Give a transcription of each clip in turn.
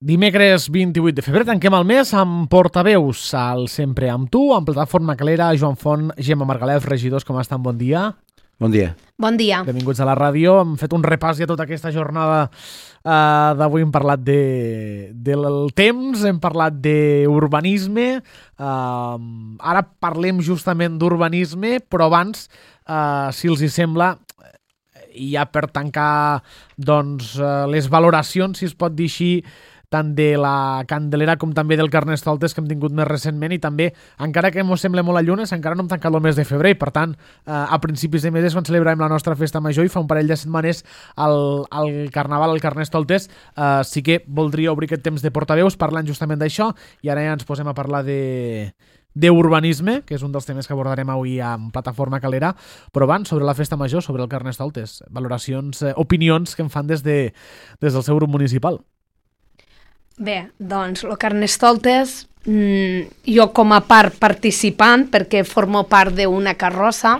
Dimecres 28 de febrer tanquem el mes amb portaveus al Sempre amb tu, amb Plataforma Calera, Joan Font, Gemma Margalef, regidors, com estan? Bon dia. Bon dia. Bon dia. Benvinguts a la ràdio. Hem fet un repàs ja tota aquesta jornada d'avui. Hem parlat del temps, hem parlat d'urbanisme. Ara parlem justament d'urbanisme, però abans, si els hi sembla, i ja per tancar doncs, les valoracions, si es pot dir així, tant de la Candelera com també del Carnestoltes que hem tingut més recentment, i també, encara que ens sembla molt a llunes, encara no hem tancat el mes de febrer, i per tant, a principis de mes és quan celebrarem la nostra festa major, i fa un parell de setmanes el Carnaval, el Carnestoltes. Sí que voldria obrir aquest temps de portaveus parlant justament d'això, i ara ja ens posem a parlar d'urbanisme, que és un dels temes que abordarem avui amb Plataforma Calera, però abans, sobre la festa major, sobre el Carnestoltes, valoracions, opinions que en fan des del seu grup municipal. Bé, doncs, el Carnestoltes, jo com a part participant, perquè formo part d'una carrossa,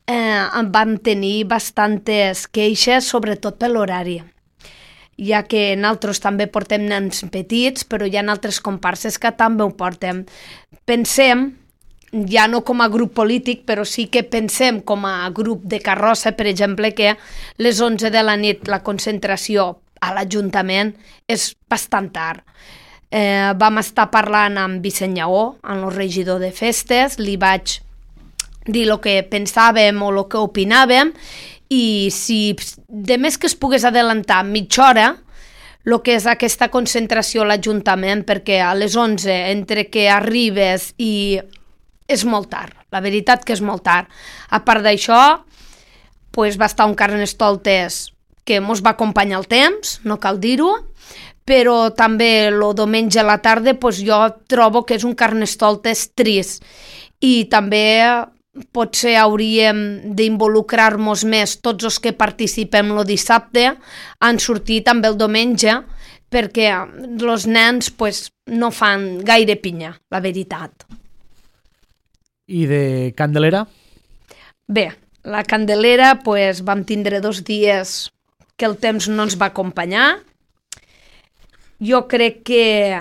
vam tenir bastantes queixes, sobretot per l'horari, ja que nosaltres també portem nens petits, però hi ha altres comparses que també ho portem. Pensem, ja no com a grup polític, però sí que pensem com a grup de carrossa, per exemple, que les 11 de la nit la concentració a l'Ajuntament és bastant tard. Vam estar parlant amb Vicent Lleó, amb el regidor de festes, li vaig dir el que pensàvem o el que opinàvem, i si de més que es pogués adelantar mitja hora el que és aquesta concentració a l'Ajuntament, perquè a les 11, entre que arribes i és molt tard, la veritat que és molt tard. A part d'això, va estar un Carnestoltes que ens va acompanyar el temps, no cal dir-ho, però també el diumenge a la tarda jo trobo que és un Carnestoltes trist, i també potser hauríem d'involucrar-nos més tots els que participem el dissabte en sortir també el diumenge, perquè els nens no fan gaire pinya, la veritat. I de Candelera? Bé, la Candelera vam tindre 2 dies que el temps no ens va acompanyar. Jo crec que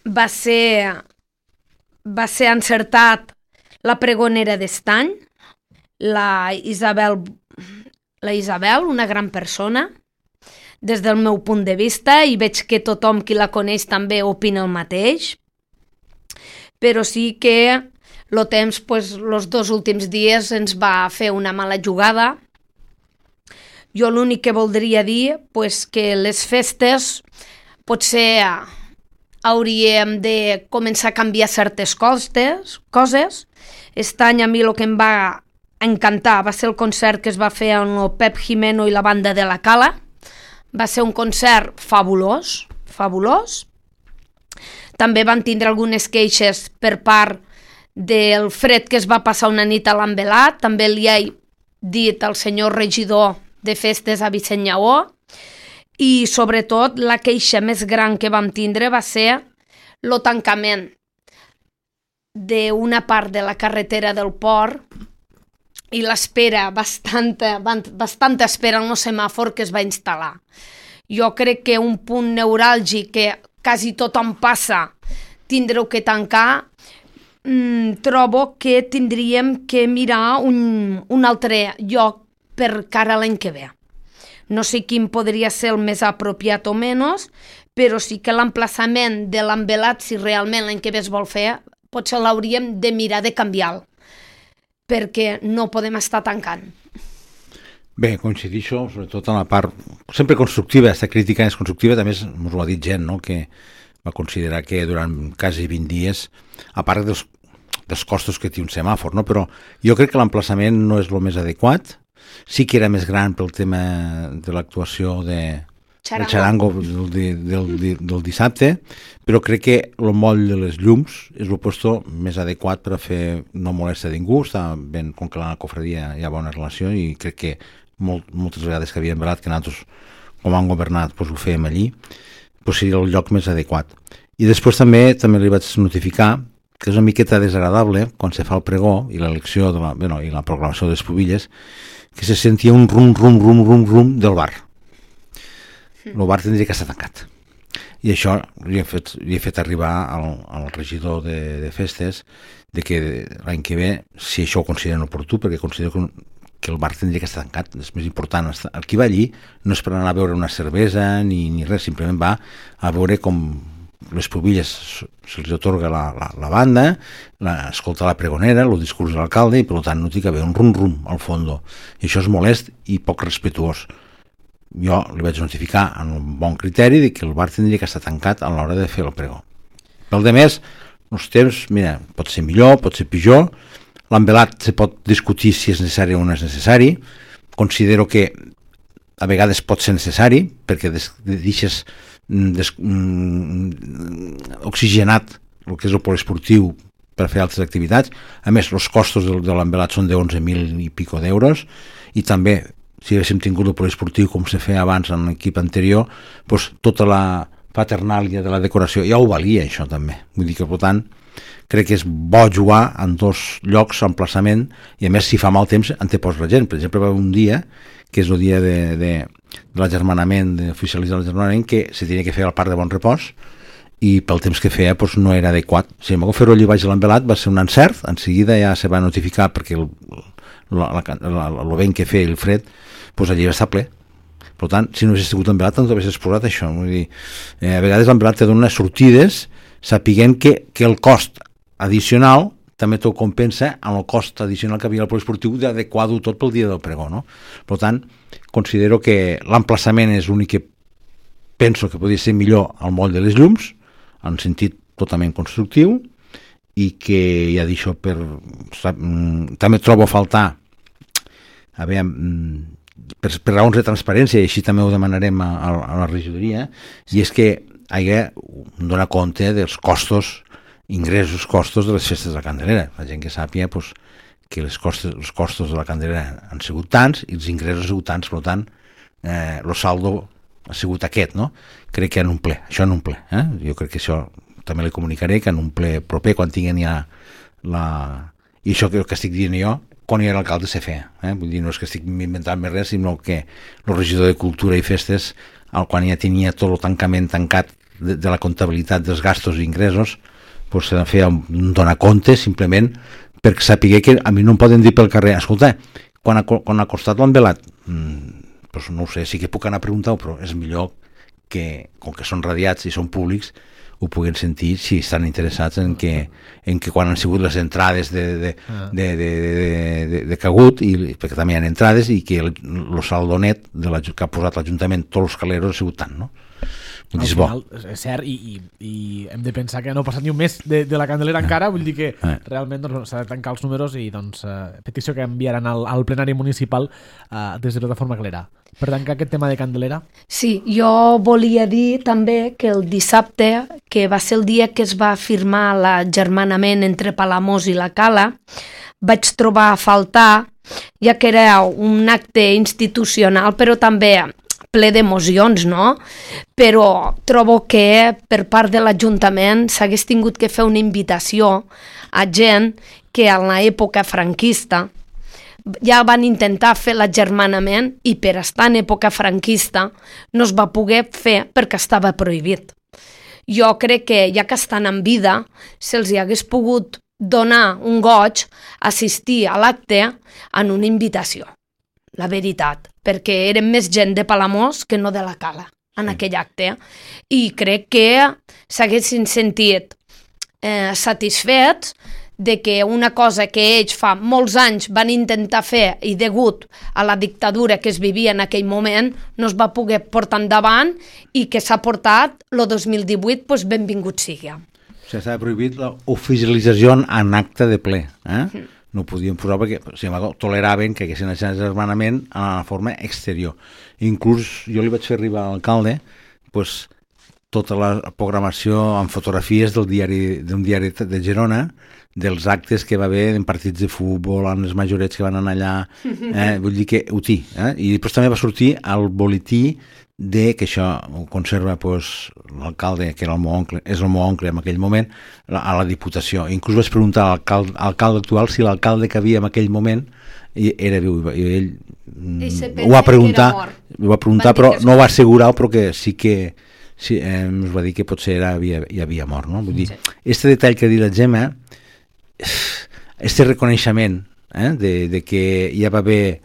va ser encertat la pregonera d'estany, la Isabel, una gran persona, des del meu punt de vista, i veig que tothom qui la coneix també opina el mateix, però sí que el temps, els 2 últims dies ens va fer una mala jugada. Jo l'únic que voldria dir que les festes potser hauríem de començar a canviar certes coses. Aquest any a mi el que em va encantar va ser el concert que es va fer amb el Pep Jimeno i la banda de la Cala. Va ser un concert fabulós, fabulós. També van tindre algunes queixes per part del fred que es va passar una nit a l'Envelat. També li he dit al senyor regidor de festes a Vicent Lleó, i sobretot la queixa més gran que vam tindre va ser el tancament d'una part de la carretera del port i l'espera, bastanta espera en el semàfor que es va instal·lar. Jo crec que un punt neuràlgic que quasi tothom passa, tindreu que tancar, trobo que tindríem que mirar un altre lloc per cara a l'any que ve. No sé quin podria ser el més apropiat o menys, però sí que l'emplaçament de l'Envelat, si realment l'any que ve es vol fer, potser l'hauríem de mirar de canviar, perquè no podem estar tancant. Bé, coincidixo, sobretot en la part sempre constructiva. Aquesta crítica és constructiva, també ens ho ha dit gent, no?, que va considerar que durant quasi 20 dies, a part dels costos que té un semàfor, no?, però jo crec que l'emplaçament no és el més adequat. Sí que era més gran pel tema de l'actuació del xarango del dissabte, però crec que el moll de les llums és el lloc més adequat per a fer no molesta ningú. Està ben, com que la cofradia hi ha bona relació, i crec que moltes vegades que havíem velat que nosaltres, com han governat, ho fèiem allí, seria el lloc més adequat. I després també li vaig notificar que és una miqueta desagradable quan se fa el pregó i l'elecció i la proclamació de les pubilles, que se sentia un rum del bar. El bar tindria que estar tancat. i això li he fet arribar al regidor de festes de que l'any que ve, si això ho consideren oportú, perquè considero que el bar tindria que estar tancat, és més important. El que va allí no és per anar a veure una cervesa ni res, simplement va a veure com les pubilles se'ls atorga la banda, escolta la pregonera, el discurs de l'alcalde, i per tant no té que haver un rum-rum al fons. I això és molest i poc respetuós. Jo li vaig notificar amb un bon criteri de que el bar tindria que estar tancat a l'hora de fer el pregó. Pel de més, els temps, mira, pot ser millor, pot ser pitjor. L'envelat se pot discutir si és necessari o no és necessari. Considero que a vegades pot ser necessari perquè deixes oxigenat el que és el poliesportiu per fer altres activitats. A més, els costos de l'envelat són de 11.000 i pico d'euros, i també, si haguéssim tingut el poliesportiu com se feia abans en l'equip anterior, doncs tota la paternàlia de la decoració ja ho valia, això també. Vull dir que, per tant, crec que és bo jugar en dos llocs, emplaçament, i a més, si fa mal temps, en té pots la gent. Per exemple, va un dia, que és el dia de l'agermanament, d'oficialitzar l'agermanament, que se tenia que fer al Parc de Bon Repòs, i pel temps que feia doncs, no era adequat. Si em va fer-ho allà baix de l'envelat va ser un encert, en seguida ja se va notificar perquè el vent que feia el fred, doncs allà va estar ple. Per tant, si no hagués sigut l'envelat, no t'hagués exposat això. Vull dir, a vegades l'envelat te dona sortides sapiguent que el cost addicional també t'ho compensa amb el cost addicional que havia al poliesportiu d'adequar-ho tot pel dia del pregó, no? Per tant, considero que l'emplaçament és l'únic que penso que podria ser millor al moll de les llums, en sentit totalment constructiu, i que ja d'això també trobo a faltar per raons de transparència, i així també ho demanarem a la regidoria, i és que donar compte dels costos, ingressos, costos de les festes de la Candelera. La gent que sàpiga que els costos de la Candelera han sigut tants i els ingressos han sigut tants, per tant, el saldo ha sigut aquest, no? Crec que en un ple, això en un ple. Jo crec que això també li comunicaré, que en un ple proper, quan tinguin ja i això que estic dient jo, quan hi era l'alcalde se feia. Vull dir, no és que estic inventant més res, sinó que el regidor de Cultura i Festes, quan ja tenia tot el tancament tancat de la comptabilitat dels gastos i ingressos, doncs se feia donar compte simplement perquè sapigué que a mi no em poden dir pel carrer, escolta, quan ha costat l'envelat, doncs no ho sé, sí que puc anar a preguntar-ho, però és millor que, com que són radiats i són públics, ho puguin sentir si estan interessats en que quan han sigut les entrades de cagut, perquè també hi ha entrades, i que el saldo net que ha posat l'Ajuntament, tots els caleros, ha sigut tant, no? Al final, és cert, i hem de pensar que no ha passat ni un mes de la Candelera encara, vull dir que realment doncs, s'ha de tancar els números, i doncs petició que enviaran al plenari municipal des de plataforma clara. Per tancar aquest tema de Candelera. Sí, jo volia dir també que el dissabte, que va ser el dia que es va firmar l'agermanament entre Palamós i la Cala, vaig trobar a faltar, ja que era un acte institucional, però també ple d'emocions, no? Però trobo que per part de l'Ajuntament s'hagués tingut que fer una invitació a gent que en l'època franquista ja van intentar fer l'agermanament i per estar en època franquista no es va poder fer perquè estava prohibit. Jo crec que ja que estan en vida se'ls hagués pogut donar un goig assistir a l'acte en una invitació, la veritat, perquè eren més gent de Palamós que no de la Cala en aquell acte, i crec que s'haguessin sentit satisfets de que una cosa que ells fa molts anys van intentar fer i degut a la dictadura que es vivia en aquell moment no es va poder portar endavant, i que s'ha portat el 2018, doncs benvingut sigui. O sigui, s'ha prohibit l'oficialització en acte de ple. No ho podien posar perquè, sin embargo, toleraven que haguessin aquest agermanament en la forma exterior. Inclús jo li vaig fer arribar a l'alcalde tota la programació amb fotografies d'un diari de Girona, dels actes que va haver en partits de futbol, en els majorets que van anar allà, vull dir que ho té. I després també va sortir el boletí que això ho conserva l'alcalde, que era el meu oncle, és el meu oncle en aquell moment, a la Diputació. Inclús vaig preguntar a l'alcalde actual si l'alcalde que havia en aquell moment era viu, i ell ho va preguntar, però no ho va assegurar, però que sí sí, ens va dir que potser hi havia mort, no? Vull dir, este detall que ha dit la Gemma, este reconeixement de que ja va haver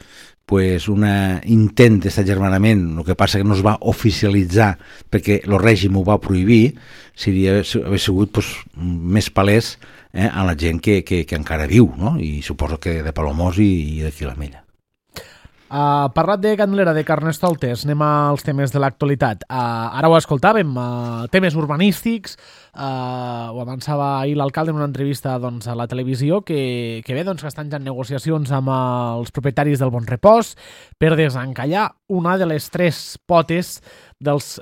pues, un intent d'agermanament, el que passa que no es va oficialitzar perquè el règim ho va prohibir, hauria sigut pues, més palès a la gent que encara viu, no? I suposo que de Palomós i d'aquí la Mella. Parlat de Candelera, de Carnestoltes, anem als temes de l'actualitat. Ara ho escoltàvem, temes urbanístics, ho avançava ahir l'alcalde en una entrevista doncs, a la televisió, que bé, doncs, que estan ja en negociacions amb els propietaris del Bon Repòs per desencallar una de les 3 potes dels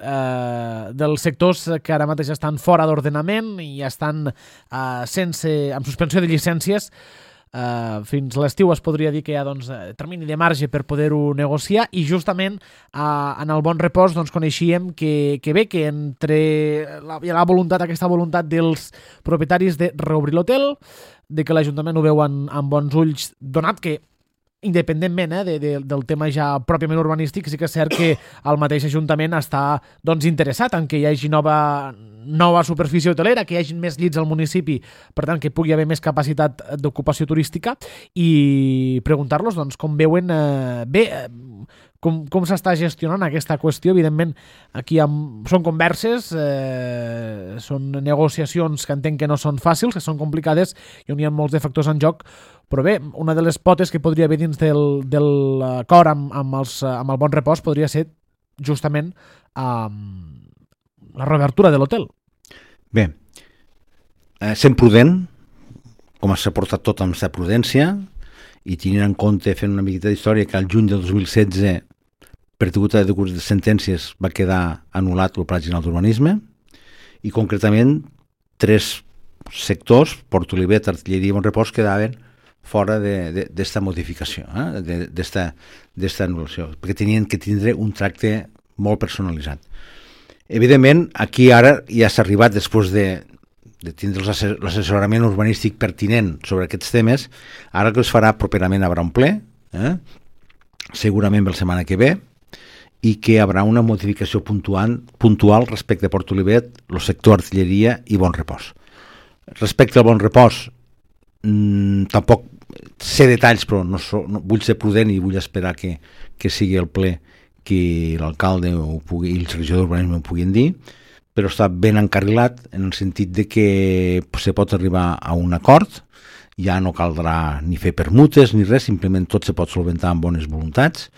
sectors que ara mateix estan fora d'ordenament i estan amb suspensió de llicències. Fins l'estiu es podria dir que hi ha doncs, termini de marge per poder-ho negociar i justament en el Bon Repòs doncs, coneixíem que bé, que entre aquesta voluntat dels propietaris de reobrir l'hotel, de que l'Ajuntament ho veu amb bons ulls, donat que independentment del tema ja pròpiament urbanístic, sí que és cert que el mateix Ajuntament està doncs, interessat en que hi hagi nova superfície hotelera, que hi hagi més llits al municipi, per tant que pugui haver més capacitat d'ocupació turística i preguntar-los doncs, com veuen com s'està gestionant aquesta qüestió. Evidentment, aquí són converses, són negociacions que entenc que no són fàcils, que són complicades i on hi ha molts de factors en joc, però bé, una de les potes que podria haver dins del acord amb el Bon Repòs podria ser justament la reobertura de l'hotel. Bé, sent prudent, com s'ha portat tot amb sa prudència, i tenint en compte, fent una miqueta d'història, que al juny de 2016, per degut a de sentències, va quedar anul·lat el Pla General d'Urbanisme, i concretament 3 sectors, Port Olivet, Artilleria i Bon Repòs, quedaven fora d'esta modificació, d'esta anul·lació, perquè tenien que tindre un tracte molt personalitzat. Evidentment, aquí ara ja s'ha arribat, després de tindre l'assessorament urbanístic pertinent sobre aquests temes, ara que es farà properament haurà un ple, segurament la setmana que ve, i que hi haurà una modificació puntual respecte a Port Olivet, el sector Artilleria i Bon Repòs. Respecte al Bon Repòs, tampoc sé detalls, però no vull ser prudent i vull esperar que sigui el ple que l'alcalde i el regidor d'urbanisme ho puguin dir, però està ben encarrilat en el sentit de que se pot arribar a un acord, ja no caldrà ni fer permutes ni res, simplement tot se pot solventar amb bones voluntats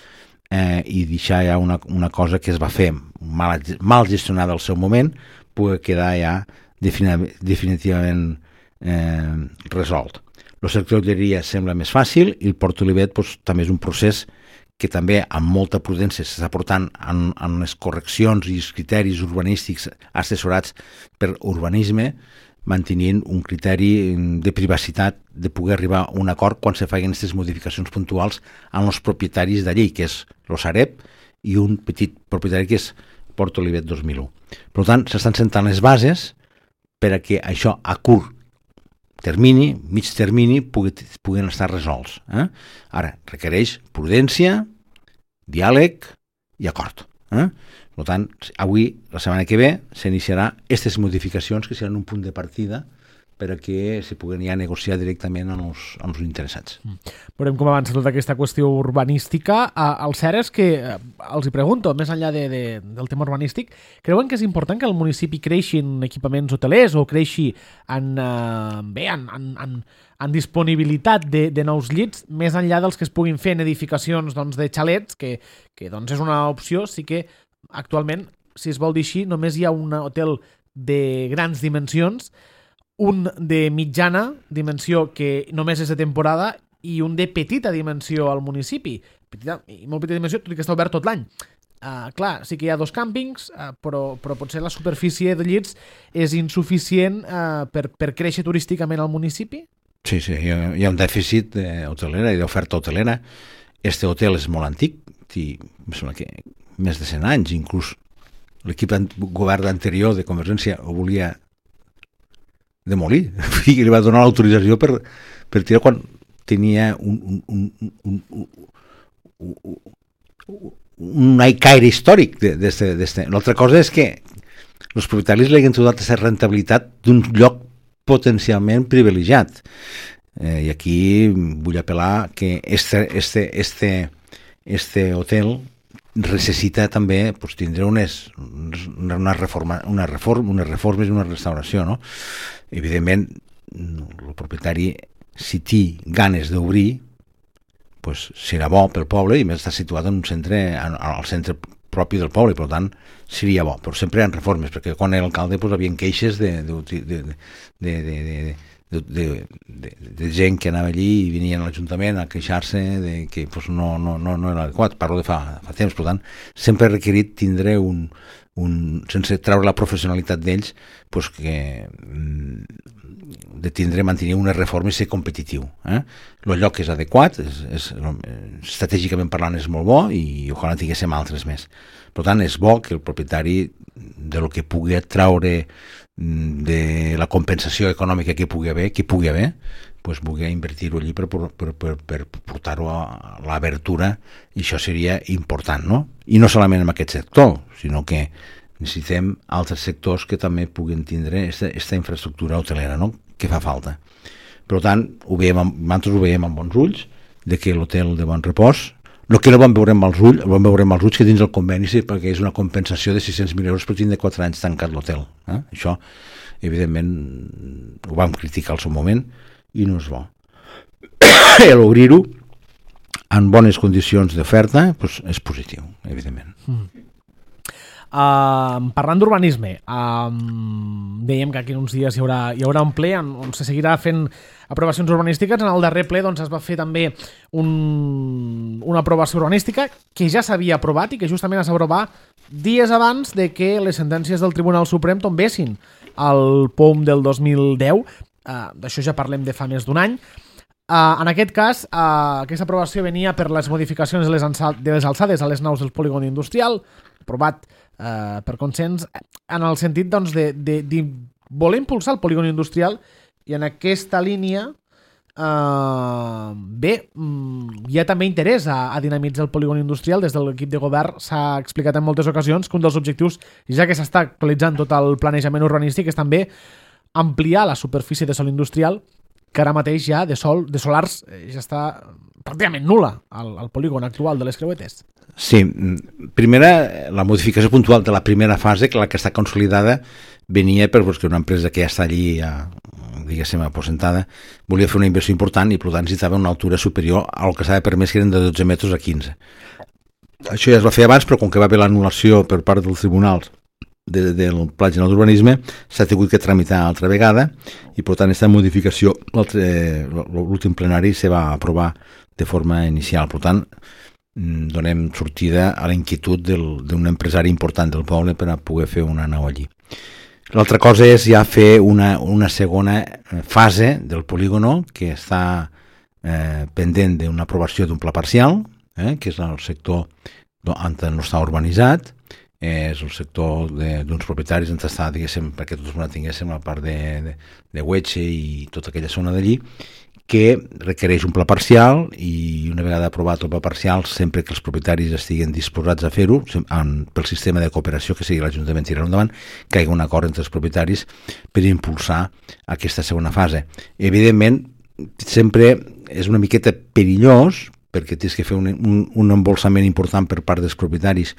i deixar ja una cosa que es va fer mal gestionada al seu moment, pugui quedar ja definitivament resolt. El sector d'hoteleria sembla més fàcil i el Port Olivet també és un procés que també amb molta prudència s'està portant en les correccions i els criteris urbanístics assessorats per urbanisme, mantenint un criteri de privacitat de poder arribar a un acord quan se facin aquestes modificacions puntuals amb els propietaris d'allí, que és el Sareb i un petit propietari que és Port Olivet 2001. Per tant, s'estan sentant les bases per a que això a curt termini, mig termini, puguin estar resolts. Ara, requereix prudència, diàleg i acord. Per tant, avui, la setmana que ve, s'iniciarà aquestes modificacions que seran un punt de partida per a que se puguin ja negociar directament amb els interessats. Veurem com avança tota aquesta qüestió urbanística. El cert és que, els hi pregunto, més enllà del tema urbanístic, creuen que és important que el municipi creixi en equipaments hotelers o creixi en disponibilitat de nous llits, més enllà dels que es puguin fer en edificacions de xalets, que és una opció. Sí que actualment, si es vol dir així, només hi ha un hotel de grans dimensions, un de mitjana dimensió que només és de temporada i un de petita dimensió al municipi. Molt petita dimensió, tot i que està obert tot l'any. Clar, sí que hi ha 2 càmpings, però potser la superfície de llits és insuficient per créixer turísticament al municipi? Sí, hi ha un dèficit hotelera i d'oferta hotelera. Este hotel és molt antic, em sembla que més de 100 anys, inclús l'equip govern anterior de Convergència ho volia demolir, i li va donar l'autorització per tirar quan tenia un caire històric d'este. L'altra cosa és que els propietaris li han trobat aquesta rentabilitat d'un lloc potencialment privilegiat. I aquí vull apel·lar que este hotel necessita també pues, tindre unes reformes i una restauració, no? Evidentment, el propietari, si té ganes d'obrir, pues, serà bo pel poble i més està situat en un centre, al centre propi del poble, per tant, seria bo. Però sempre hi ha reformes, perquè quan era alcalde pues, havia queixes de gent que anava allí i venien a l'Ajuntament a queixar-se de que pues, no era adequat. Parlo de fa temps, per tant, sempre he requerit tindre sense treure la professionalitat d'ells, pues, de tindre, mantenir unes reformes i ser competitiu. El lloc és adequat, estratègicament parlant és molt bo i ojalà tinguéssim altres més. Per tant, és bo que el propietari de lo que pugui treure de la compensació econòmica que pugui haver, pues, pugui invertir-ho allí per portar-ho a l'obertura, i això seria important, no? I no solament en aquest sector, sinó que necessitem altres sectors que també puguin tindre aquesta infraestructura hotelera, no? Que fa falta. Per tant, nosaltres ho veiem amb bons ulls, de que l'hotel de Bon Repòs, el que no vam veure amb els ulls que dins el conveni, perquè és una compensació de 600.000 euros per tindre 4 anys tancat l'hotel. Això, evidentment, ho vam criticar al seu moment i no és bo. L'obrir-ho en bones condicions d'oferta pues, és positiu, evidentment. Parlant d'urbanisme, dèiem que aquí uns dies hi haurà un ple on se seguirà fent aprovacions urbanístiques. En el darrer ple doncs, es va fer també una aprovació urbanística que ja s'havia aprovat i que justament es va aprovar dies abans de que les sentències del Tribunal Suprem tombessin al POM del 2010. D'això ja parlem de fa més d'un any. En aquest cas, aquesta aprovació venia per les modificacions de les alçades a les naus del polígon industrial, aprovat per consens, en el sentit doncs, de voler impulsar el polígon industrial, i en aquesta línia hi ha també interès a dinamitzar el polígon industrial. Des de l'equip de govern s'ha explicat en moltes ocasions que un dels objectius, ja que s'està actualitzant tot el planejament urbanístic, és també ampliar la superfície de sòl industrial, que ara mateix ja de solars ja està pràcticament nul·la al polígon actual de les Creuetes. Sí, primera, la modificació puntual de la primera fase, que la que està consolidada, venia perquè una empresa que ja està allí, diguéssim, aposentada, volia fer una inversió important i per tant necessitava una altura superior al que s'ha permès, que eren de 12 metres a 15. Això ja es va fer abans, però com que va haver l'anul·lació per part dels tribunals del Pla General d'Urbanisme, s'ha tingut que tramitar altra vegada i per tant aquesta modificació l'últim plenari se va aprovar de forma inicial. Per tant, donem sortida a la inquietud d'un empresari important del poble per a poder fer una nau allí. L'altra cosa és ja fer una segona fase del polígono que està pendent d'una aprovació d'un pla parcial, que és el sector on no està urbanitzat, és el sector d'uns propietaris on està, diguéssim, perquè tots tinguéssim la part de Huetxe i tota aquella zona d'allí, que requereix un pla parcial, i una vegada aprovat el pla parcial, sempre que els propietaris estiguen disposats a fer-ho, pel sistema de cooperació que sigui l'Ajuntament tirarà endavant, que hi hagi un acord entre els propietaris per impulsar aquesta segona fase. Evidentment, sempre és una miqueta perillós, perquè tens que fer un embolsament important per part dels propietaris,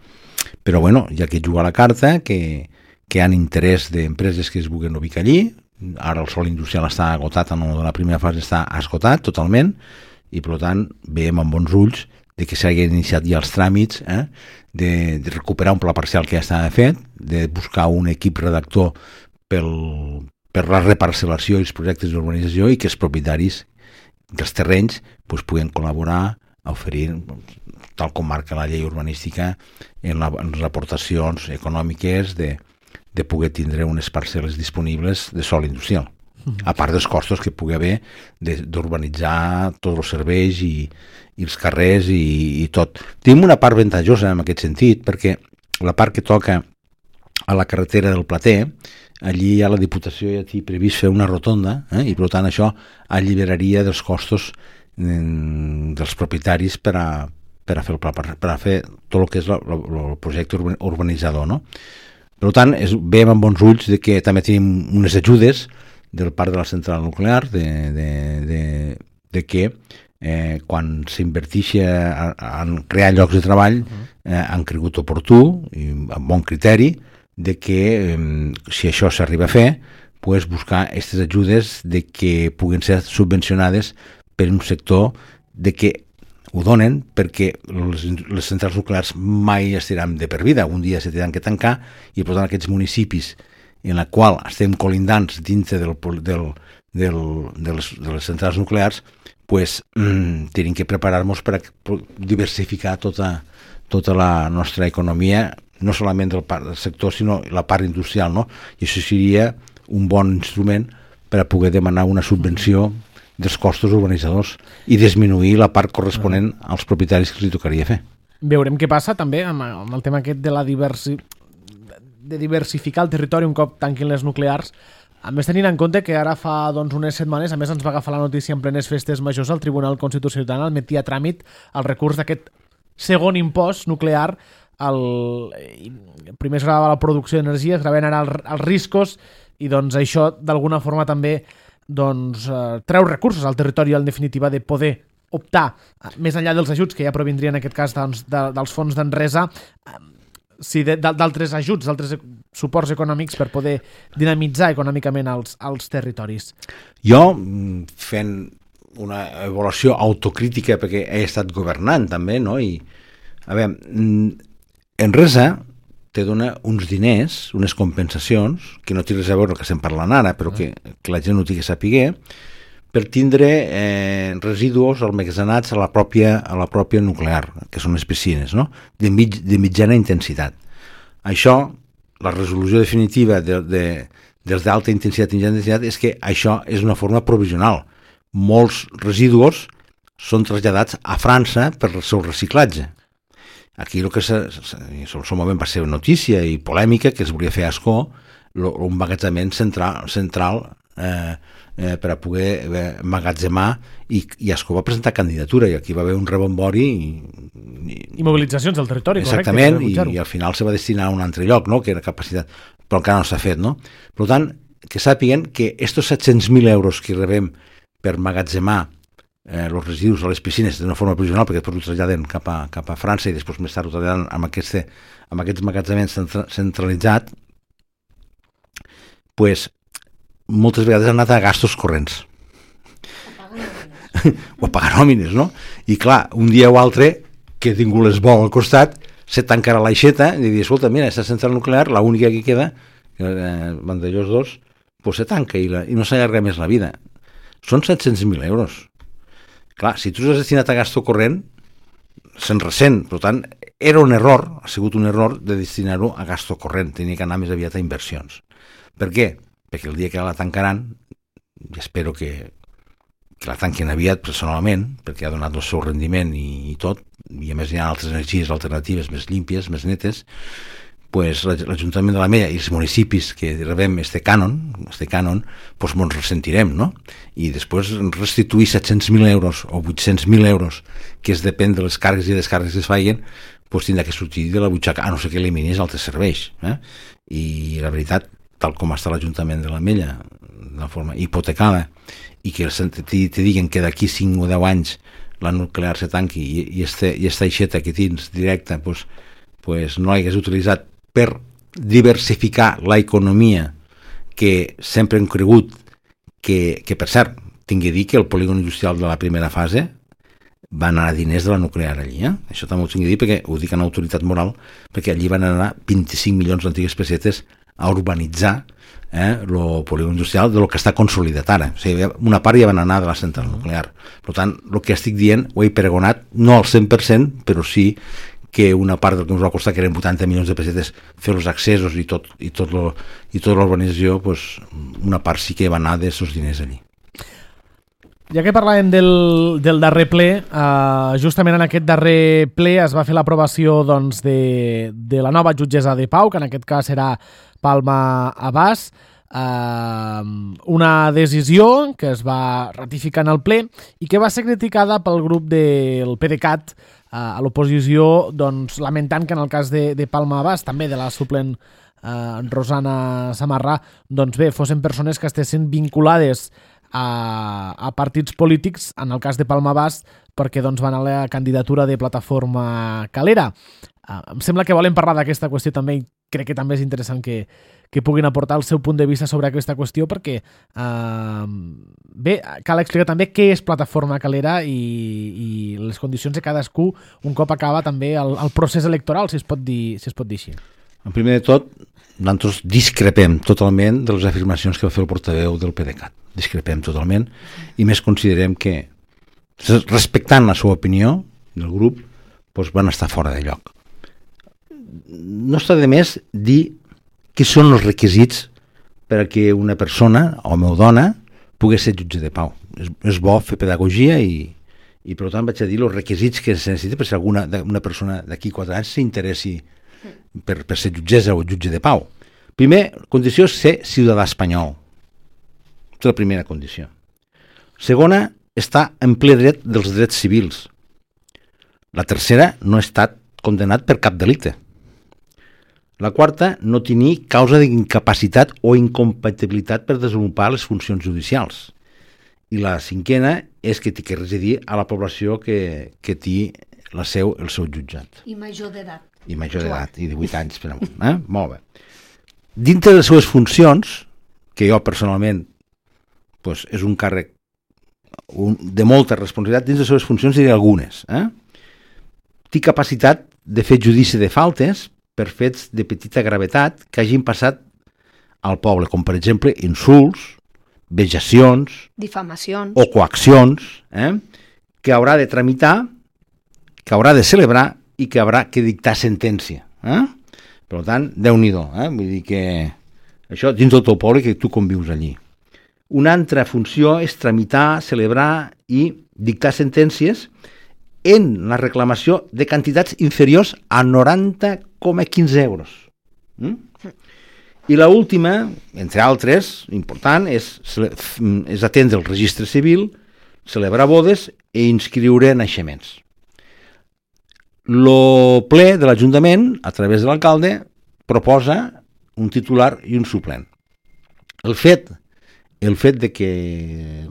però bueno, ja que juga la carta, que hi ha interès d'empreses que es vulguin ubicar allí. Ara el sòl industrial està agotat, en la primera fase està esgotat totalment, i per tant veiem amb bons ulls de que s'hagin iniciat ja els tràmits de recuperar un pla parcial que ja estava fet, de buscar un equip redactor per la reparcel·lació i els projectes d'urbanització, i que els propietaris dels terrenys puguin col·laborar a oferir, tal com marca la llei urbanística, en les aportacions econòmiques de poder tindre unes parcel·les disponibles de sòl industrial, a part dels costos que pugui haver d'urbanitzar tots els serveis i els carrers i tot. Tenim una part avantatjosa en aquest sentit, perquè la part que toca a la carretera del Plater, allí ja la Diputació ja té previst fer una rotonda, i per tant això alliberaria dels costos dels propietaris per a fer tot el que és el projecte urbanitzador, no? Per tant, veiem amb bons ulls de que també tenim unes ajudes del part de la central nuclear de que quan s'inverteixi en crear llocs de treball han cregut oportú i amb bon criteri de que si això s'arriba a fer pues, buscar aquestes ajudes de que puguin ser subvencionades per un sector de que ho donen perquè les centrals nuclears mai estaran de per vida, un dia se tenen que tancar i per tant aquests municipis en la qual estem colindants dintre de les centrals nuclears pues, tenim que preparar-nos per diversificar tota la nostra economia, no solament del sector sinó la part industrial, no? I això seria un bon instrument per a poder demanar una subvenció dels costos urbanitzadors i disminuir la part corresponent als propietaris que els tocaria fer. Veurem què passa també amb el tema aquest de de diversificar el territori un cop tanquin les nuclears, a més tenint en compte que ara fa unes setmanes, a més ens va agafar la notícia en plenes festes majors, el Tribunal Constitucional admetia a tràmit el recurs d'aquest segon impost nuclear. Primer es gravava la producció d'energia, es gravaven ara els riscos i això d'alguna forma també treu recursos al territori en definitiva de poder optar, més enllà dels ajuts que ja provindrien en aquest cas dels fons d'Enresa, d'altres ajuts, d'altres suports econòmics per poder dinamitzar econòmicament els territoris. Jo, fent una avaluació autocrítica perquè he estat governant també, no? I, a veure, Enresa te dona uns diners, unes compensacions, que no té res a veure el que estem parlant ara, però que la gent no tingui a saber, per tindre residus almacenats a la pròpia nuclear, que són les piscines, no? de mitjana intensitat. Això, la resolució definitiva dels d'alta intensitat i mitjana intensitat és que això és una forma provisional. Molts residus són traslladats a França per el seu reciclatge. Aquí el que en el seu moment va ser notícia i polèmica que es volia fer a Ascó un emmagatzemament central per a poder emmagatzemar i Ascó va presentar candidatura i aquí va haver un rebombori i mobilitzacions del territori, exactament, correcte, i al final se va destinar a un altre lloc, no? Que era capacitat, però encara no s'ha fet, no? Per tant, que sàpiguen que estos 700.000 euros que rebem per emmagatzemar els residus a les piscines d'una forma provisional, perquè després ho traslladen cap a França i després més tard ho traslladen amb aquests emmagatzements centralitzats, pues, moltes vegades han anat a gastos corrents o a pagar nòmines, no? I clar, un dia o altre que he tingut l'esbol al costat se tancarà l'aixeta i dir, escolta, mira, aquesta central nuclear, l'única que queda Vandellós 2, pues se tanca i no s'allarga més la vida. Són 700.000 euros. Clar, si tu has destinat a gasto corrent, se'n ressent. Per tant, era un error, ha sigut un error de destinar-ho a gasto corrent. Tenia que anar més aviat a inversions. Per què? Perquè el dia que la tancaran, i espero que la tanquen aviat personalment, perquè ha donat el seu rendiment i tot, i a més hi ha altres energies alternatives més límpies, més netes, pues l'Ajuntament de l'Ametlla i els municipis que rebem este cànon, pues ens ressentirem, no? I després restituir 700.000 euros o 800.000 euros, que es depèn de les càrregues i descàrregues que es facin, pues tindrà que sortir de la butxaca, a no ser que eliminis altres serveis. I la veritat, tal com està l'Ajuntament de l'Ametlla, de forma hipotecada, i que te diguen que d'aquí 5 o 10 anys la nuclear se tanqui i esta aixeta que tens directa pues no l'hagués utilitzat per diversificar l'economia que sempre hem cregut que per cert, tingui a dir que el polígon industrial de la primera fase van anar diners de la nuclear allí, això també ho tinc a dir perquè ho dic en autoritat moral, perquè allí van anar 25 milions d'antigues pessetes a urbanitzar el polígon industrial del que està consolidat ara. O sigui, una part ja van anar de la central nuclear. Per tant, el que estic dient ho he pregonat, no al 100%, però sí que una part del que ens va costar, que eren 80 milions de pessetes, fer els accessos i tota l'urbanització, pues, una part sí que va anar d'aquests diners allí. Ja que parlàvem del darrer ple, justament en aquest darrer ple es va fer l'aprovació de la nova jutgessa de pau, que en aquest cas serà Palma Abàs, una decisió que es va ratificar en el ple i que va ser criticada pel grup del PDeCAT a l'oposició, lamentant que en el cas de Palma Abàs, també de la suplent Rosana Samarrà, doncs bé, fossin persones que estessin vinculades a partits polítics, en el cas de Palma Bas, perquè doncs, van a la candidatura de Plataforma Calera. Em sembla que volen parlar d'aquesta qüestió també i crec que també és interessant que puguin aportar el seu punt de vista sobre aquesta qüestió perquè bé, cal explicar també què és Plataforma Calera i les condicions de cadascú un cop acaba també el procés electoral, si es pot dir així. En primer de tot, nosaltres discrepem totalment de les afirmacions que va fer el portaveu del PDeCAT. Discrepem totalment i més considerem que respectant la seva opinió del grup doncs van estar fora de lloc. No està de més dir què són els requisits per a que una persona, home o dona, pugui ser jutge de pau. És bo fer pedagogia i per tant vaig a dir els requisits que se necessita per si una persona d'aquí 4 anys s'interessi per ser jutgessa o jutge de pau. Primer, condició és ser ciutadà espanyol. És la primera condició. Segona, estar en ple dret dels drets civils. La tercera, no ha estat condemnat per cap delicte. La quarta, no tenir causa d'incapacitat o incompatibilitat per desenvolupar les funcions judicials. I la cinquena és que té que residir a la població que té el seu jutjat. I major d'edat. I major d'edat, i 18 anys per amunt. Molt bé. Dintre de les seves funcions, que jo personalment doncs, és un càrrec de molta responsabilitat, dins de les seves funcions diré algunes. Té capacitat de fer judici de faltes per fets de petita gravetat que hagin passat al poble, com per exemple insults, vexacions, difamacions o coaccions, que haurà de tramitar, que haurà de celebrar i que haurà que dictar sentència. Per tant, Déu-n'hi-do, vull dir que això dins del teu poble que tu convius allí. Una altra funció és tramitar, celebrar i dictar sentències en la reclamació de quantitats inferiors a 90,15 euros. I l'última, entre altres, important, és atendre el registre civil, celebrar bodes i inscriure naixements. El ple de l'Ajuntament, a través de l'alcalde, proposa un titular i un suplent. El fet de que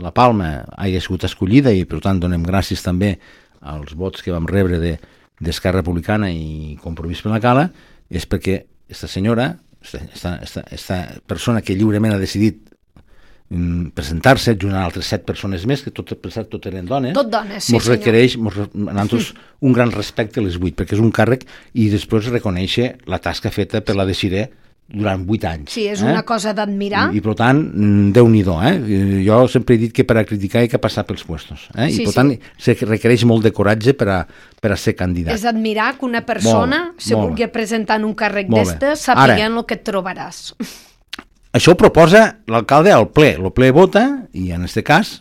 la Palma hagi sigut escollida i per tant donem gràcies també als vots que vam rebre d'Esquerra Republicana i Compromís per la Cala és perquè aquesta senyora, aquesta persona que lliurement ha decidit presentar-se junt a altres 7 persones més, que tot eren dones, tot dones, sí, mos requereix a nosaltres un gran respecte a les 8, perquè és un càrrec i després reconèixer la tasca feta per la Desiré durant 8 anys. Sí, és una cosa d'admirar. I per tant, Déu-n'hi-do. Jo sempre he dit que per a criticar hi ha que passar pels puestos. I per tant, se requereix molt de coratge per a ser candidat. És admirar que una persona se vulgui presentar en un càrrec d'estes sapiguent el que et trobaràs. Això ho proposa l'alcalde al ple. El ple vota i en aquest cas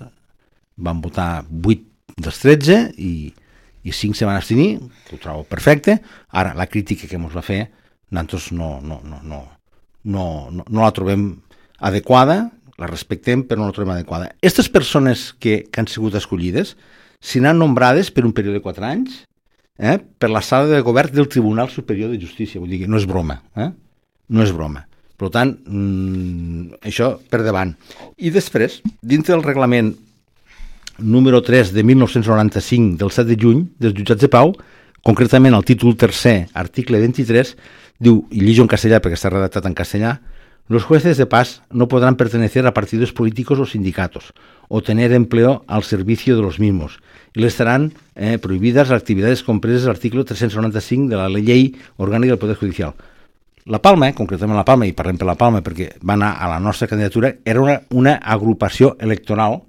van votar 8 dels 13 i 5 se van abstenir, que ho trobo perfecte. Ara, la crítica que ens va fer nosaltres no la trobem adequada, la respectem però no la trobem adequada. Aquestes persones que han sigut escollides seran nombrades per un període de 4 anys per la sala de govern del Tribunal Superior de Justícia, vull dir que no és broma, no és broma. Per tant, això per davant. I després, dintre del reglament número 3 de 1995 del 7 de juny dels jutjats de pau, concretament el títol 3è, article 23, diu, i llegeixo en castellà perquè està redactat en castellà, los jueces de paz no podrán pertenecer a partidos políticos o sindicatos o tener empleo al servicio de los mismos y les estarán prohibidas las actividades compresas al artículo 395 de la Ley Orgánica del Poder Judicial. La Palma, concretament la Palma, i parlem per la Palma perquè va anar a la nostra candidatura, era una agrupació electoral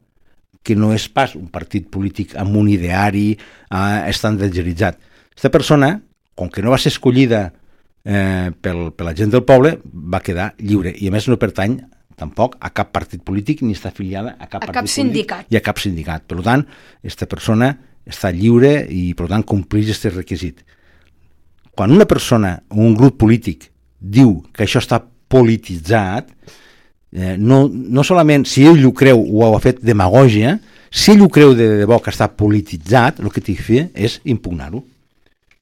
que no és pas un partit polític amb un ideari estandarditzat. Aquesta persona, com que no va ser escollida per la gent del poble, va quedar lliure i a més no pertany tampoc a cap partit polític ni està afiliada a cap partit sindicat. Polític i a cap sindicat. Per tant, aquesta persona està lliure i per tant compleix aquest requisit. Quan una persona o un grup polític diu que això està polititzat, no solament si ell ho creu o ha fet demagògia, si ell ho creu de debò que està polititzat, el que té que fer és impugnar-ho.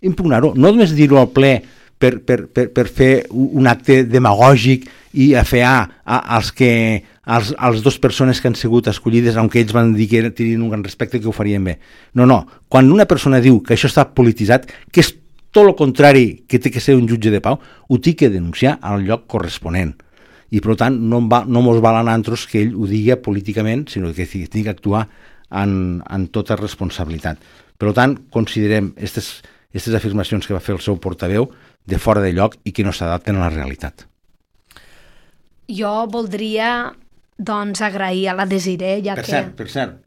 No només dir-ho al ple per fer un acte demagògic i afear als dues persones que han sigut escollides, aunque ells van dir que tenien un gran respecte, que ho farien bé. No. Quan una persona diu que això està polititzat, que és tot el contrari que té que ser un jutge de pau, ho té que denunciar al lloc corresponent. I, per tant, no mos val a nosaltres que ell ho digui políticament, sinó que té que actuar en tota responsabilitat. Per tant, considerem aquestes afirmacions que va fer el seu portaveu de fora de lloc i que no s'adapten a la realitat. Jo voldria, doncs, agrair a la Desiree, ja que... Per cert,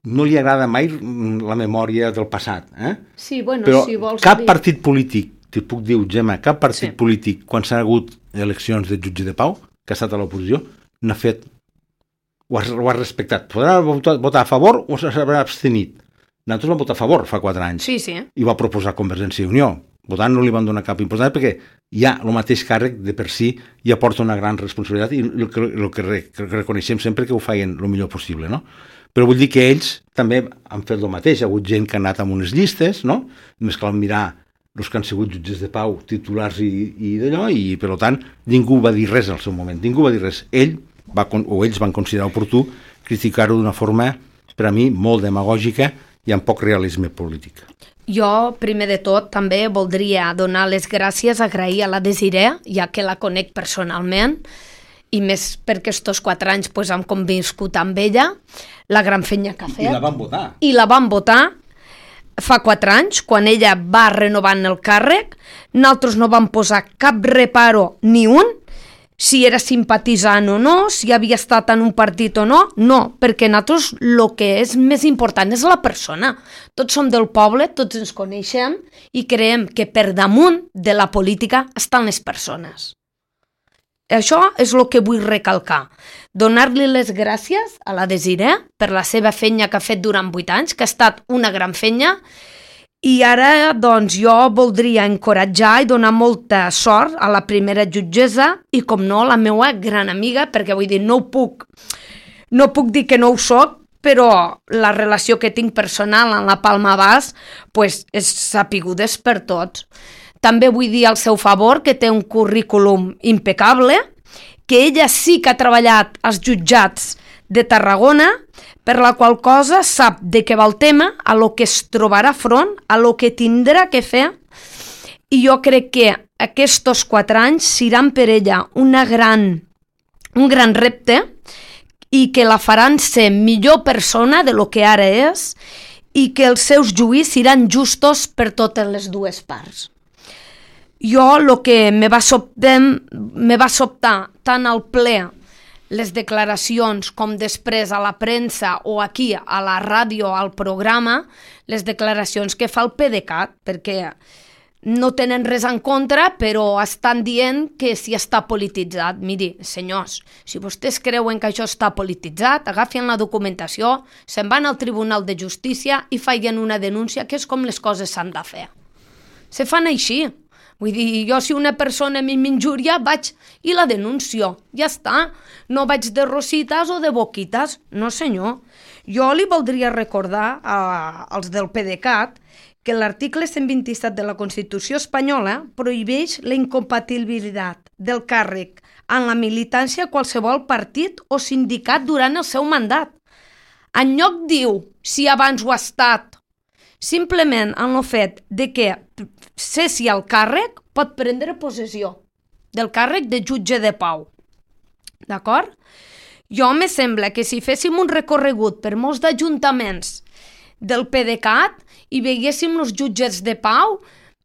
no li agrada mai la memòria del passat, Sí, bueno, però si vols cap dir... partit polític, t'hi puc dir, Gemma, cap partit polític, quan s'ha hagut eleccions de jutge de pau, que ha estat a l'oposició, n'ha fet, ho ha respectat. Podrà votar a favor o s'haurà abstenit. Nosaltres vam votar a favor fa 4 anys. Sí. I va proposar Convergència i Unió. Votant no li van donar cap importància perquè ja el mateix càrrec de per si ja porta una gran responsabilitat i el que reconeixem sempre que ho feien el millor possible, no? Però vull dir que ells també han fet el mateix. Hi ha hagut gent que ha anat amb unes llistes, no? Només cal mirar els que han sigut jutges de pau, titulars i d'allò, i per tant ningú va dir res al seu moment, ningú va dir res. Ells van considerar oportú criticar-ho d'una forma, per a mi, molt demagògica i amb poc realisme polític. Jo, primer de tot, també voldria donar les gràcies, agrair a la Desiree, ja que la conec personalment, i més perquè estos 4 anys hem conviscut amb ella, la gran feina que ha fet. I la van votar. I la van votar fa 4 anys, quan ella va renovant el càrrec. Nosaltres no vam posar cap reparo ni un, si era simpatitzant o no, si havia estat en un partit o no, perquè nosaltres el que és més important és la persona. Tots som del poble, tots ens coneixem i creiem que per damunt de la política estan les persones. Això és el que vull recalcar. Donar-li les gràcies a la Desiree per la seva feina que ha fet durant 8 anys, que ha estat una gran feina. I ara, doncs, jo voldria encoratjar i donar molta sort a la primera jutgessa i, com no, la meva gran amiga, perquè vull dir, no puc dir que no ho soc, però la relació que tinc personal amb la Palma Bas és sapigudes per tots. També vull dir al seu favor que té un currículum impecable, que ella sí que ha treballat als jutjats de Tarragona, per la qual cosa sap de què va el tema, a lo que es trobarà front, a lo que tindrà que fer, i jo crec que aquests 4 anys seran per ella un gran repte i que la faran ser millor persona de lo que ara és i que els seus judicis seran justos per totes les dues parts. Jo el que me va sobtar tant al ple les declaracions com després a la premsa o aquí a la ràdio, al programa, les declaracions que fa el PDeCAT, perquè no tenen res en contra, però estan dient que si està polititzat. Miri, senyors, si vostès creuen que això està polititzat, agafin la documentació, se'n van al Tribunal de Justícia i feien una denúncia, que és com les coses s'han de fer. Se fan així. Vull dir, jo si una persona m'injuria vaig i la denuncio, ja està. No vaig de rosites o de boquites, no senyor. Jo li voldria recordar als del PDeCAT que l'article 127 de la Constitució espanyola prohibeix la incompatibilitat del càrrec en la militància a qualsevol partit o sindicat durant el seu mandat. En lloc diu si abans ho ha estat, simplement en el fet de que cessi el càrrec pot prendre possessió del càrrec de jutge de pau. D'acord? Jo me sembla que si féssim un recorregut per molts d'ajuntaments del PDeCAT i veiéssim els jutges de pau,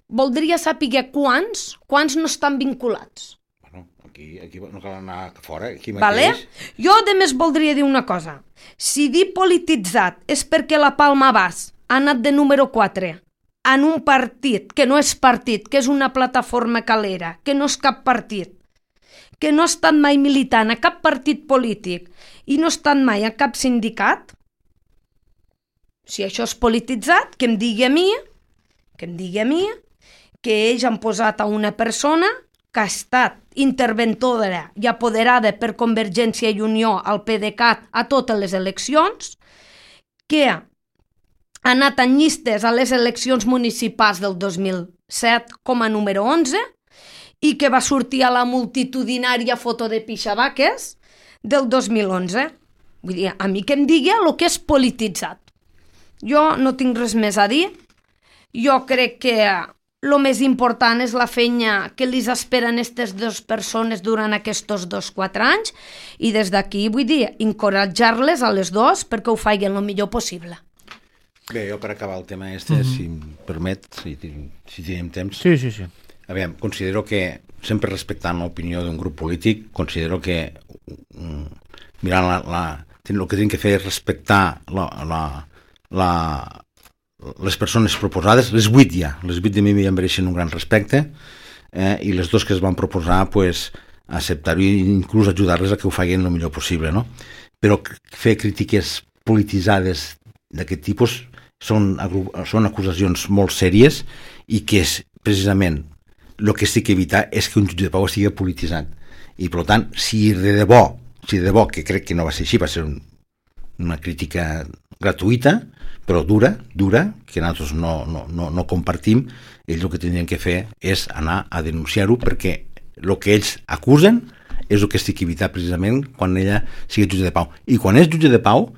voldria saber quants no estan vinculats. Bueno, aquí no cal anar fora, aquí mateix. Vale? Jo, a més, voldria dir una cosa. Si dir polititzat és perquè la Palma Bas ha anat de número 4 en un partit que no és partit, que és una plataforma calera, que no és cap partit, que no ha estat mai militant a cap partit polític i no ha estat mai a cap sindicat, si això és polititzat, que em digui a mi que ells han posat a una persona que ha estat interventora i apoderada per Convergència i Unió al PDeCAT a totes les eleccions, que ha anat en llistes a les eleccions municipals del 2000 7 com a número 11 i que va sortir a la multitudinària foto de pixabaques del 2011. Vull dir, a mi que em digui el que és polititzat. Jo no tinc res més a dir. Jo crec que el més important és la feina que li esperen aquestes dues persones durant aquests 2-4 anys i des d'aquí vull dir, encoratjar-les a les dues perquè ho facin el millor possible. Bé, jo per acabar el tema si em permet, si tenim temps. Sí. A veure, considero que, sempre respectant l'opinió d'un grup polític, considero que mirant el que tenen que fer és respectar les persones proposades, les 8 ja, les 8 de mi ja em mereixen un gran respecte, i les 2 que es van proposar, pues, acceptar-ho i inclús ajudar-les a que ho facin el millor possible, no? Però fer crítiques polititzades d'aquest tipus són acusacions molt sèries i que és precisament el que sí que evitar és que un jutge de pau estigui polititzat. I per tant, si de debò, que crec que no va ser així, va ser una crítica gratuïta, però dura, que nosaltres no compartim, ells el que tindrien que fer és anar a denunciar-ho perquè el que ells acusen és el que estic evitar precisament quan ella sigui jutge de pau. I quan és jutge de pau,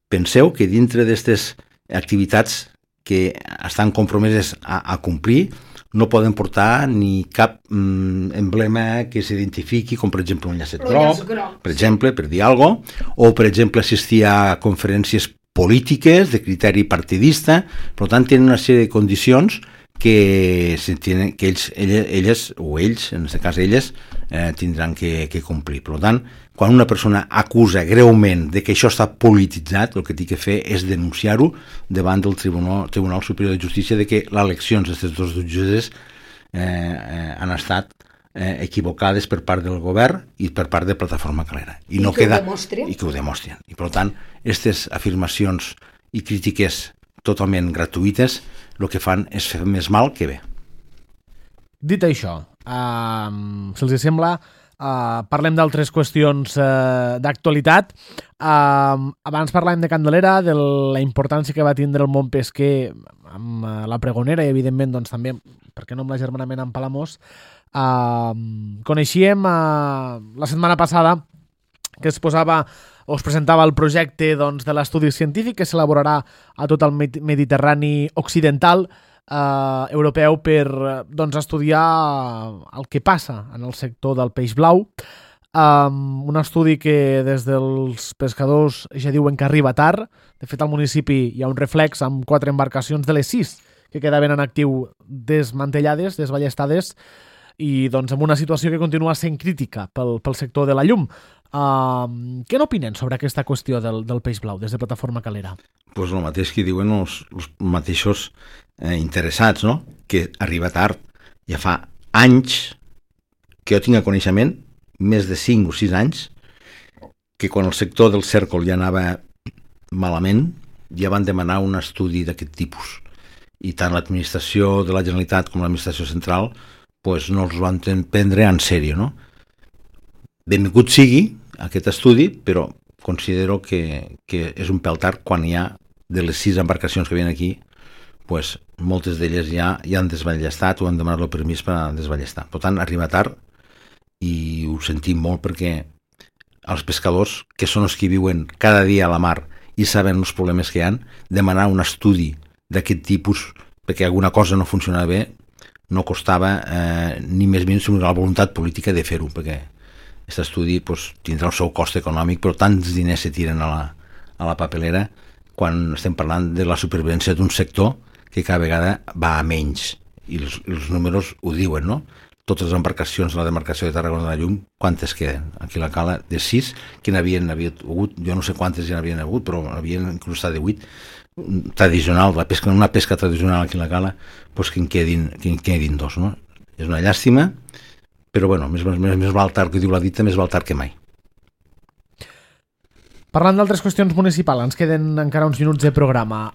penseu que dintre d'aquestes activitats que estan compromeses a complir no poden portar ni cap emblema que s'identifiqui, com per exemple un llacet groc, per exemple, per dir alguna cosa, o per exemple assistir a conferències polítiques de criteri partidista. Per tant, tenen una sèrie de condicions que elles, en aquest cas elles, tindran que complir. Per tant, quan una persona acusa greument de que això està polititzat, el que té que fer és denunciar-ho davant del Tribunal Superior de Justícia de que les eleccions d'aquestes dos jutges han estat equivocades per part del govern i per part de Plataforma Calera. I no queda, i que ho demostren. I per tant, aquestes afirmacions i crítiques totalment gratuïtes el que fan és fer més mal que bé. Dit això, si els sembla, parlem d'altres qüestions d'actualitat. Abans parlàvem de Candelera, de la importància que va tindre el món pesquer amb la Pregonera i evidentment doncs, també, per què no amb l'agermanament amb Palamós. Coneixíem la setmana passada que es presentava el projecte doncs, de l'estudi científic que s'elaborarà a tot el Mediterrani occidental europeu per doncs, estudiar el que passa en el sector del peix blau. Un estudi que des dels pescadors ja diuen que arriba tard. De fet, al municipi hi ha un reflex amb 4 embarcacions de les 6 que quedaven en actiu desmantellades, desballestades, i doncs amb una situació que continua sent crítica pel sector de la llum. Què n'opinen sobre aquesta qüestió del peix blau des de Plataforma Calera? Pues el mateix que diuen els mateixos interessats, no? Que arriba tard. Ja fa anys que jo tinc el coneixement, més de 5 o 6 anys, que quan el sector del cèrcol ja anava malament, ja van demanar un estudi d'aquest tipus. I tant l'administració de la Generalitat com l'administració central pues no els van prendre en sèrio, no? Benvingut sigui aquest estudi, però considero que és un pèl tard quan hi ha de les 6 embarcacions que venen aquí, pues moltes d'elles ja han desballestat o han demanat el permís per a desballestar. Per tant, arriba tard i ho sentim molt perquè els pescadors, que són els que viuen cada dia a la mar i saben els problemes que hi ha, demanar un estudi d'aquest tipus perquè alguna cosa no funcionava bé, no costava ni més ni menys la voluntat política de fer-ho, perquè aquest estudi pues, tindrà el seu cost econòmic, però tants diners se tiren a la papelera quan estem parlant de la supervivència d'un sector que cada vegada va a menys, i els números ho diuen, no? Totes les embarcacions de la demarcació de Tarragona de la Llum, quantes queden? Aquí a la cala de 6, que n'havien hagut, jo no sé quantes ja n'havien hagut, però havien inclús estat de 8, tradicional, una pesca tradicional aquí a la cala, pues que en quedin 2, no? És una llàstima, però bueno, més val tard, que diu la dita, més val tard que mai. Parlant d'altres qüestions municipals, ens queden encara uns minuts de programa.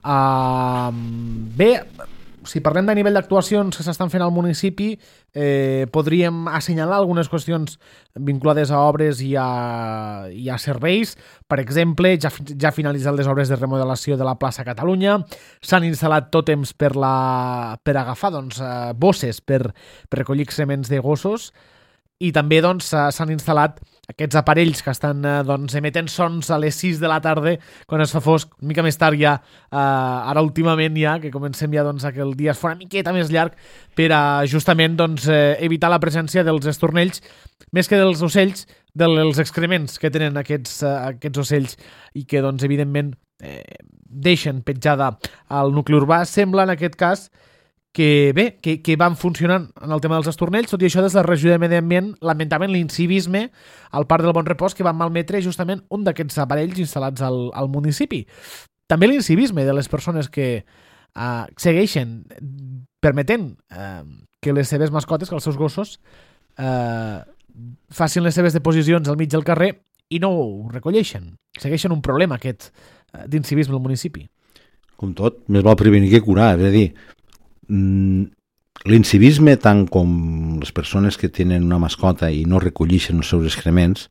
Bé, si parlem de nivell d'actuacions que s'estan fent al municipi, podríem assenyalar algunes qüestions vinculades a obres i a serveis. Per exemple, ja finalitzat les obres de remodelació de la plaça Catalunya, s'han instal·lat tòtems per agafar bosses per recollir excrements de gossos, i també s'han instal·lat aquests aparells que estan emetent sons a les 6 de la tarda quan es fa fosc, una mica més tard ja, ara últimament ja, que comencem ja que el dia es fa una miqueta més llarg, per a justament evitar la presència dels estornells, més que dels ocells, dels excrements que tenen aquests ocells i que evidentment deixen petjada al nucli urbà. Sembla en aquest cas que van funcionant en el tema dels estornells. Tot i això, des de la regió de Medi Ambient lamentaven l'incivisme al Parc del Bon Repòs, que van malmetre justament un d'aquests aparells instal·lats al municipi. També l'incivisme de les persones que segueixen permetent que les seves mascotes, que els seus gossos facin les seves deposicions al mig del carrer i no ho recolleixen. Segueixen un problema aquest d'incivisme al municipi. Com tot, més val prevenir que curar, és a dir, l'incivisme, tant com les persones que tenen una mascota i no recolleixen els seus excrements,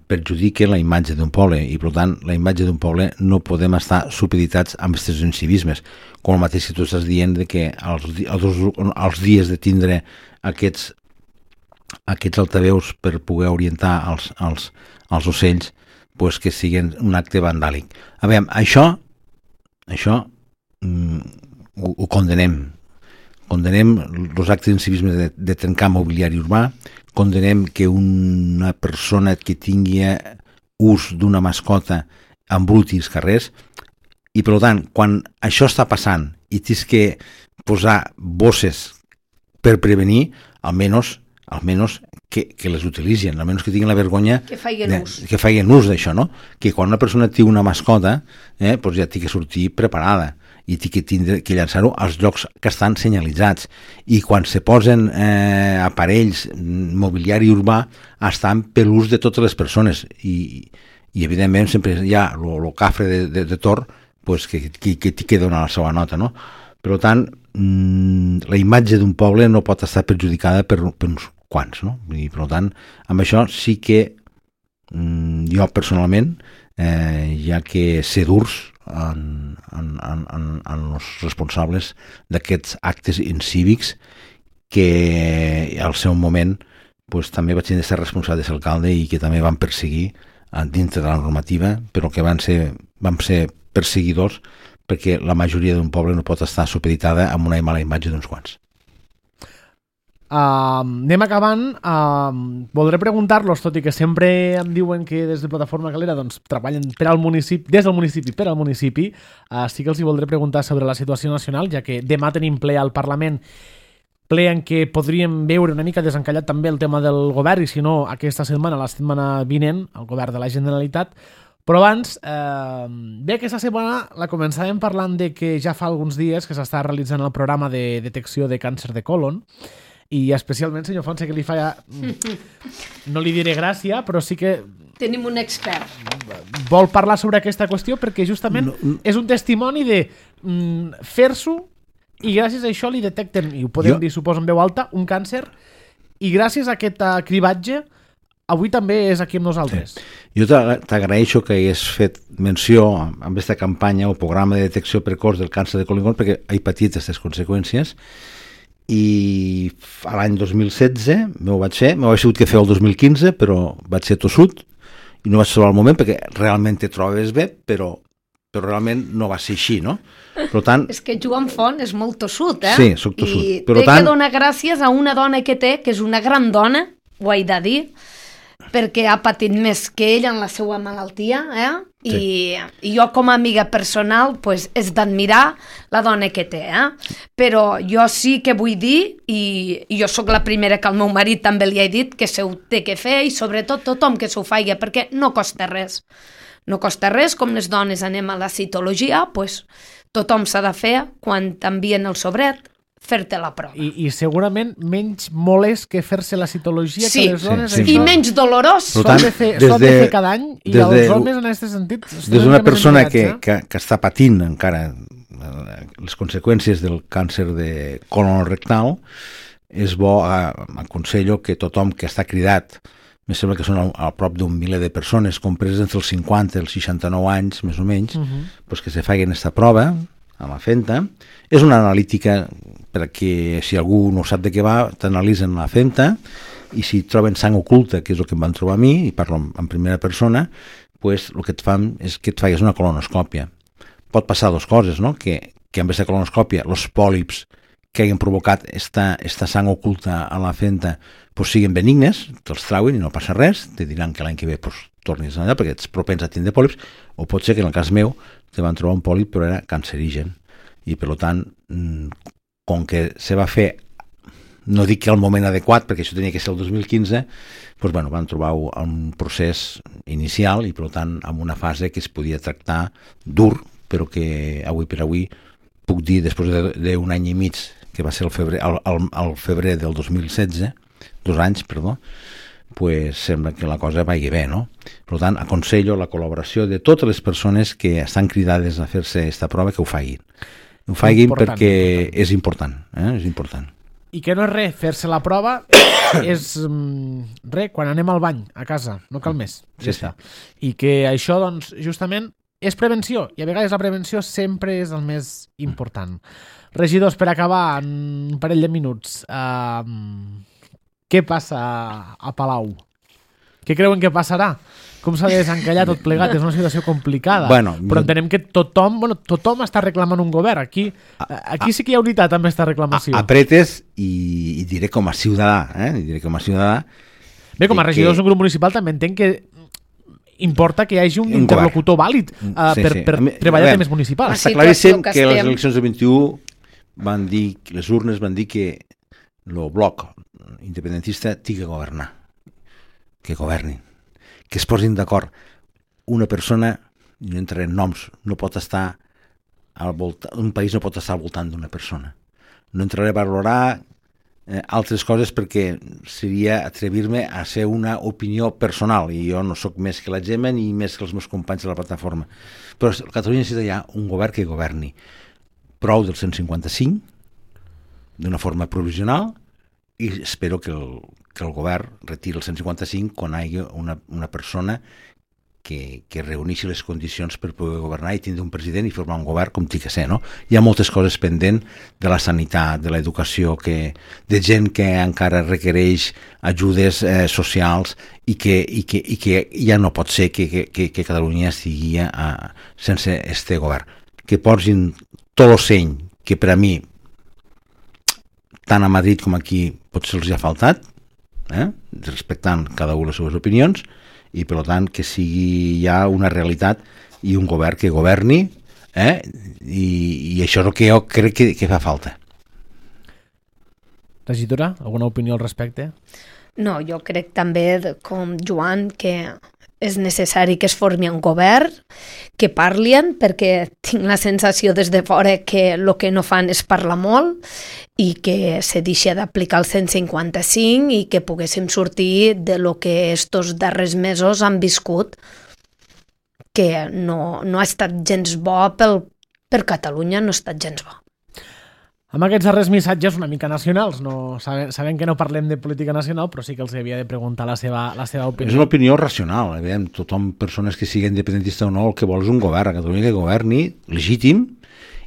perjudica la imatge d'un poble, i per tant la imatge d'un poble no podem estar supeditats amb aquests incivismes, com el mateix que tu estàs dient de que els dies de tindre aquests altaveus per poder orientar els ocells, pues que siguin un acte vandàlic. A veure, això ho condenem. Condenem els actes d'incivisme de trencar mobiliari urbà, condenem que una persona que tingui ús d'una mascota embruti els carrers, i per tant, quan això està passant i tens que posar bosses per prevenir, almenys que les utilitzen, almenys que tinguin la vergonya que feien ús d'això, no? Que quan una persona té una mascota, doncs ja té que sortir preparada i té que tindre que llançar-ho als llocs que estan senyalitzats, i quan se posen aparells, mobiliari urbà, estan per l'ús de totes les persones, i evidentment sempre hi ha el cafre de Tor, pues, que té que donar la seva nota, no? Per tant, la imatge d'un poble no pot estar perjudicada per uns quants, no? I per tant, amb això sí que jo personalment hi ha que ser durs en els responsables d'aquests actes incívics, que al seu moment pues, també vaig tenir de ser responsable d'alcalde i que també van perseguir dintre de la normativa, però que van ser perseguidors, perquè la majoria d'un poble no pot estar supeditada amb una mala imatge d'uns quants. Anem acabant. Voldré preguntar-los, tot i que sempre em diuen que des de Plataforma Calera treballen des del municipi per al municipi, sí que els hi voldré preguntar sobre la situació nacional, ja que demà tenim ple al Parlament, ple en què podríem veure una mica desencallat també el tema del govern, i si no, aquesta setmana, la setmana vinent, el govern de la Generalitat. Però abans, bé, aquesta setmana la començàvem parlant de que ja fa alguns dies que s'està realitzant el programa de detecció de càncer de colon, i especialment, senyor Font, sé que li fa... No li diré gràcia, però sí que... Tenim un expert. Vol parlar sobre aquesta qüestió perquè justament és un testimoni de fer-s'ho, i gràcies a això li detecten, i ho podem dir, suposo, en veu alta, un càncer, i gràcies a aquest cribatge avui també és aquí amb nosaltres. Sí. Jo t'agraeixo que hagués fet menció amb aquesta campanya o programa de detecció precoç del càncer de colon, perquè he patit aquestes conseqüències, i a l'any 2016 m'ho vaig sigut que fer el 2015, però vaig ser tossut i no vaig trobar el moment, perquè realment te trobes bé, però realment no va ser així, no? Per tant, és que Joan Font és molt tossut, Sí, soc tossut. I té que donar gràcies a una dona que té, que és una gran dona, ho he de dir, perquè ha patit més que ell en la seva malaltia, Sí. I jo com a amiga personal pues, és d'admirar la dona que té, però jo sí que vull dir, i jo sóc la primera que al meu marit també li he dit que se ho té que fer, i sobretot tothom que s'ho faci, perquè no costa res. No costa res, com les dones anem a la citologia, pues, tothom s'ha de fer quan t'envien el sobret, fer-te la prova. I segurament menys molest que fer-se la citologia que les dones. Sí. I menys dolorós. S'ho han de fer cada any, i els homes en aquest sentit... Des d'una persona que està patint encara les conseqüències del càncer de colon rectal, és bo, aconsello que tothom que està cridat, me sembla que són a prop d'un miler de persones compreses entre els 50 i els 69 anys, més o menys, pues que se facin aquesta prova a la FENTA. És una analítica perquè si algú no sap de què va, t'analitzen la FENTA i si troben sang oculta, que és el que em van trobar a mi, i parlo en primera persona, pues el que et fan és que et facis una colonoscòpia. Pot passar dues coses, no? Que en vez de colonoscòpia, els pòlips que hagin provocat esta sang oculta a la FENTA pues siguin benignes, te'ls trauen i no passa res, te diran que l'any que ve pues, tornis allà perquè ets propens a tindre pòlips, o pot ser que en el cas meu te van trobar un pòlip però era cancerigen, i per tant, com que se va fer, no dic que al moment adequat, perquè això tenia que ser el 2015, doncs, bueno, van trobar un procés inicial i per tant amb una fase que es podia tractar dur, però que avui per avui puc dir, després d'un any i mig, que va ser el febrer del 2016, 2 anys, perdó, pues sembla que la cosa vagi bé, no? Per tant, aconsello la col·laboració de totes les persones que estan cridades a fer-se aquesta prova que ho facin. Ho facin perquè és important, és important. I que no és res, fer-se la prova és res, quan anem al bany a casa, no cal més. Sí, sí. I que això, doncs, justament, és prevenció, i a vegades la prevenció sempre és el més important. Regidors, per acabar, en un parell de minuts, què passa a Palau? Què creuen que passarà? Com s'ha de desencallar tot plegat? És una situació complicada, però entenem que tothom està reclamant un govern. Aquí sí que hi ha unitat amb aquesta reclamació. Apretes i diré com a ciutadà, Bé, com a regidors d'un grup municipal també entenc que importa que hi hagi un interlocutor vàlid per treballar temes municipals. Està claríssim que les eleccions del 21 van dir, les urnes van dir que el bloc independentista tingui que governar, que governin, que es posin d'acord. Una persona, no entraré en noms, no pot estar al voltant, un país no pot estar al voltant d'una persona. No entraré a valorar altres coses perquè seria atrevir-me a ser una opinió personal i jo no sóc més que la Gemma ni més que els meus companys de la plataforma. Però Catalunya necessita ja un govern que governi. Prou del 155 d'una forma provisional i espero que el govern retiri el 155 quan hi hagi una persona que reuneixi les condicions per poder governar i tindre un president i formar un govern com tingui que ser, no? Hi ha moltes coses pendents de la sanitat, de l'educació, de gent que encara requereix ajudes socials i que ja no pot ser que Catalunya estigui sense este govern. Que posin tot el seny que per a mi tant a Madrid com aquí potser els ha faltat, respectant cada una les seves opinions, i per tant que sigui ja una realitat i un govern que governi, i això és el que jo crec que fa falta. Regidora, alguna opinió al respecte? No, jo crec també, com Joan, que és necessari que es formi un govern, que parlin, perquè tinc la sensació des de fora que el que no fan és parlar molt i que se deixa d'aplicar el 155 i que poguéssim sortir de lo que estos darrers mesos han viscut, que no ha estat gens bo per Catalunya, no ha estat gens bo. Amb aquests darrers missatges una mica nacionals, sabem que no parlem de política nacional, però sí que els havia de preguntar la seva opinió. És una opinió racional, tothom, persones que siguin independentista o no, el que vol és un govern a Catalunya que governi legítim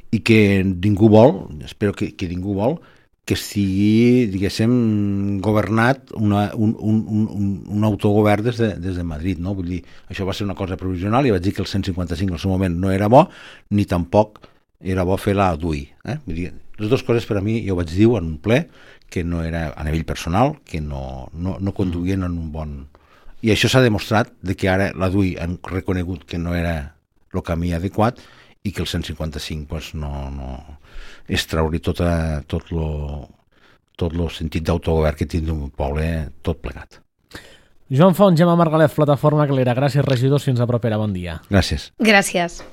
i que ningú vol, espero que ningú vol, que estigui, diguéssim, governat un autogovern des de Madrid, no? Vull dir, això va ser una cosa provisional i vaig dir que el 155 en el seu moment no era bo, ni tampoc era bo fer la DUI. Vull dir, les dues coses per a mi, jo vaig dir en un ple, que no era a nivell personal, que no conduïen en un bon... I això s'ha demostrat de que ara la DUI han reconegut que no era el camí adequat i que el 155 pues, no és treure tot el sentit d'autogovern que tindrà un poble tot plegat. Joan Font, Gemma Margalef, Plataforma Calera. Gràcies, regidors. Fins a propera. Bon dia. Gràcies. Gràcies.